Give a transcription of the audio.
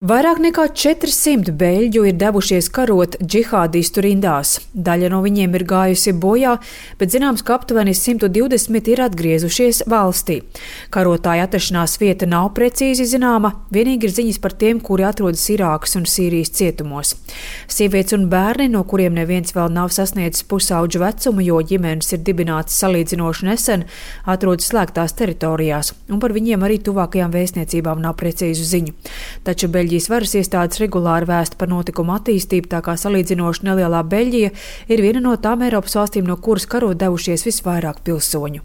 Vairāk nekā 400 beļģu ir devušies karot džihādistu rindās. Daļa no viņiem ir gājusi bojā, bet zināms, ka aptuveni 120 ir atgriezušies valstī. Karotāju atrašanās vieta nav precīzi zināma, vienīgi ir ziņas par tiem, kuri atrodas Irākas un Sīrijas cietumos. Sievietes un bērni, no kuriem neviens vēl nav sasniedzis pusauģu vecumu, jo ģimenes ir dibinātas salīdzinoši nesen, atrodas slēgtās teritorijās, un par viņiem arī tuvākajām vēstniecībām nav precīzu ziņu. Taču Beļģijas varas iestādes regulāri vēsta par notikumu attīstību, tā kā salīdzinoši nelielā Beļģija ir viena no tām Eiropas valstīm, no kuras karot devušies visvairāk pilsoņu.